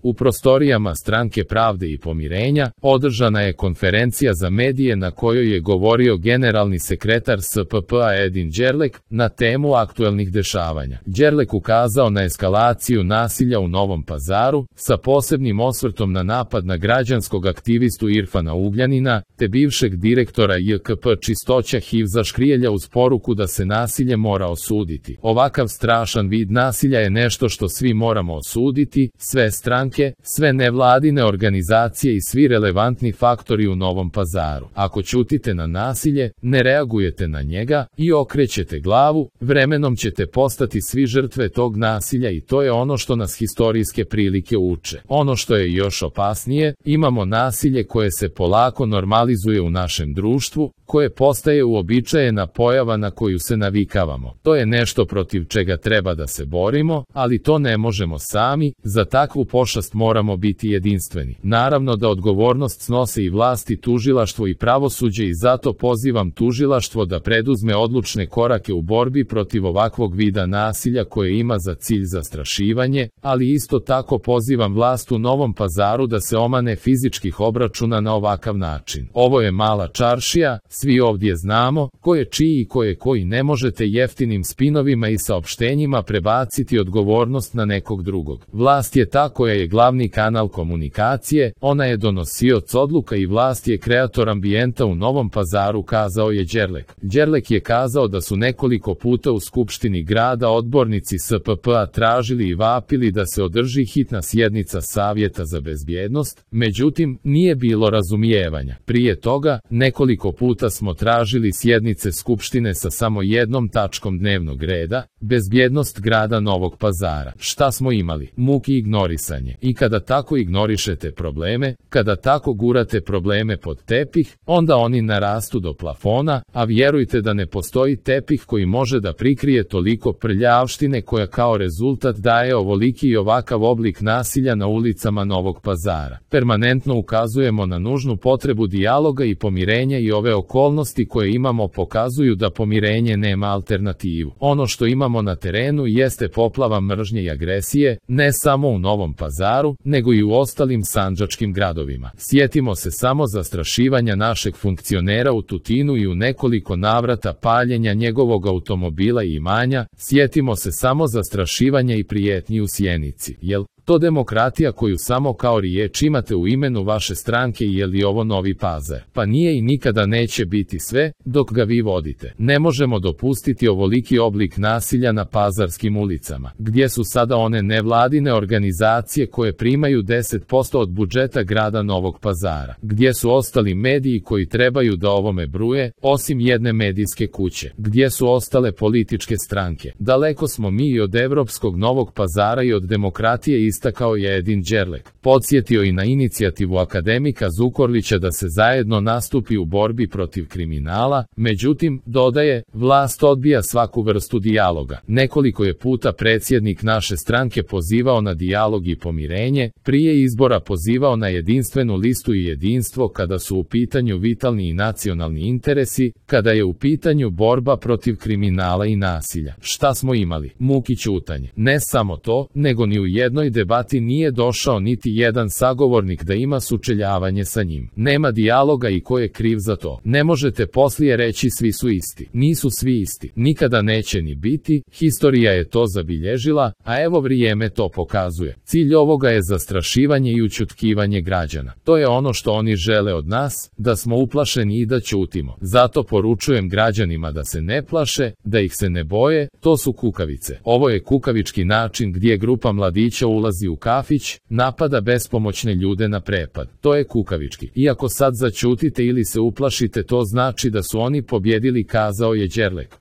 U prostorijama Stranke pravde i pomirenja održana je konferencija za medije na kojoj je govorio generalni sekretar SPP-a Edin Đerlek na temu aktuelnih dešavanja. Đerlek ukazao na eskalaciju nasilja u Novom Pazaru, sa posebnim osvrtom na napad na građanskog aktivistu Irfana Ugljanina, te bivšeg direktora JKP Čistoća Hivza Škrijelja uz poruku da se nasilje mora osuditi. Ovakav strašan vid nasilja je nešto što svi moramo osuditi, sve stranke, sve nevladine organizacije i svi relevantni faktori u Novom Pazaru. Ako ćutite na nasilje, ne reagujete na njega i okrećete glavu, vremenom ćete postati svi žrtve tog nasilja i to je ono što nas historijske prilike uče. Ono što je još opasnije, imamo nasilje koje se polako normalizuje u našem društvu, koje postaje uobičajena pojava na koju se navikavamo. To je nešto protiv čega treba da se borimo, ali to ne možemo sami, za takvu pošast moramo biti jedinstveni. Naravno da odgovornost snose i vlasti, tužilaštvo i pravosuđe i zato pozivam tužilaštvo da preduzme odlučne korake u borbi protiv ovakvog vida nasilja koje ima za cilj zastrašivanje, ali isto tako pozivam vlast u Novom Pazaru da se omane fizičkih obračuna na ovakav način. Ovo je mala čaršija, svi ovdje znamo ko je čiji i ko je koji, ne možete jeftinim spinovima i saopštenjima prebaciti odgovornost na nekog drugog. Vlast je ta koja je glavni kanal komunikacije, ona je donosioc odluka i vlast je kreator ambijenta u Novom Pazaru, kazao je Đerlek. Đerlek je kazao da su nekoliko puta u Skupštini grada odbornici SPP-a tražili i vapili da se održi hitna sjednica Savjeta za bezbjednost, međutim, nije bilo razumijevanja. Prije toga, nekoliko puta smo tražili sjednice Skupštine sa samo jednom tačkom dnevnog reda, bezbjednost grada Novog Pazara. Šta smo imali? Muki ignorisanje. I kada tako ignorišete probleme, kada tako gurate probleme pod tepih, onda oni narastu do plafona, a vjerujte da ne postoji tepih koji može da prikrije toliko prljavštine koja kao rezultat daje ovoliki i ovakav oblik nasilja na ulicama Novog Pazara. Permanentno ukazujemo na nužnu potrebu dijaloga i pomirenja i ove okolnosti koje imamo pokazuju da pomirenje nema alternativu. Ono što imamo na terenu jeste poplava mržnje i agresije, ne samo u Novom Pazaru, nego i u ostalim sandžačkim gradovima. Sjetimo se samo zastrašivanja našeg funkcionera u Tutinu i u nekoliko navrata paljenja njegovog automobila i imanja, sjetimo se samo zastrašivanja i prijetnji u Sjenici. Jel to demokratija koju samo kao riječ imate u imenu vaše stranke i je li ovo Novi Pazar? Pa nije i nikada neće biti sve, dok ga vi vodite. Ne možemo dopustiti ovoliki oblik nasilja na pazarskim ulicama. Gdje su sada one nevladine organizacije koje primaju 10% od budžeta grada Novog Pazara? Gdje su ostali mediji koji trebaju da ovome bruje, osim jedne medijske kuće? Gdje su ostale političke stranke? Daleko smo mi i od evropskog Novog Pazara i od demokratije, istakao je Edin Đerlek. Podsjetio i na inicijativu akademika Zukorlića da se zajedno nastupi u borbi protiv kriminala, međutim, dodaje, vlast odbija svaku vrstu dijaloga. Nekoliko je puta predsjednik naše stranke pozivao na dijalog i pomirenje, prije izbora pozivao na jedinstvenu listu i jedinstvo kada su u pitanju vitalni i nacionalni interesi, kada je u pitanju borba protiv kriminala i nasilja. Šta smo imali? Muki ćutanje. Ne samo to, nego ni u jednoj debati nije došao niti jedan sagovornik da ima sučeljavanje sa njim. Nema dijaloga i ko je kriv za to. Ne možete poslije reći svi su isti. Nisu svi isti. Nikada neće ni biti, historija je to zabilježila, a evo vrijeme to pokazuje. Cilj ovoga je zastrašivanje i ućutkivanje građana. To je ono što oni žele od nas, da smo uplašeni i da ćutimo. Zato poručujem građanima da se ne plaše, da ih se ne boje, to su kukavice. Ovo je kukavički način gdje grupa mladića ulazi u kafić, napada bespomoćne ljude na prepad. To je kukavički. Iako sad zaćutite ili se uplašite, to znači da su oni pobjedili, kazao je Đerlek.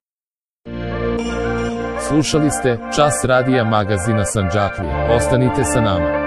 Slušali ste Čas radija magazina Sandžaklija. Ostanite sa nama.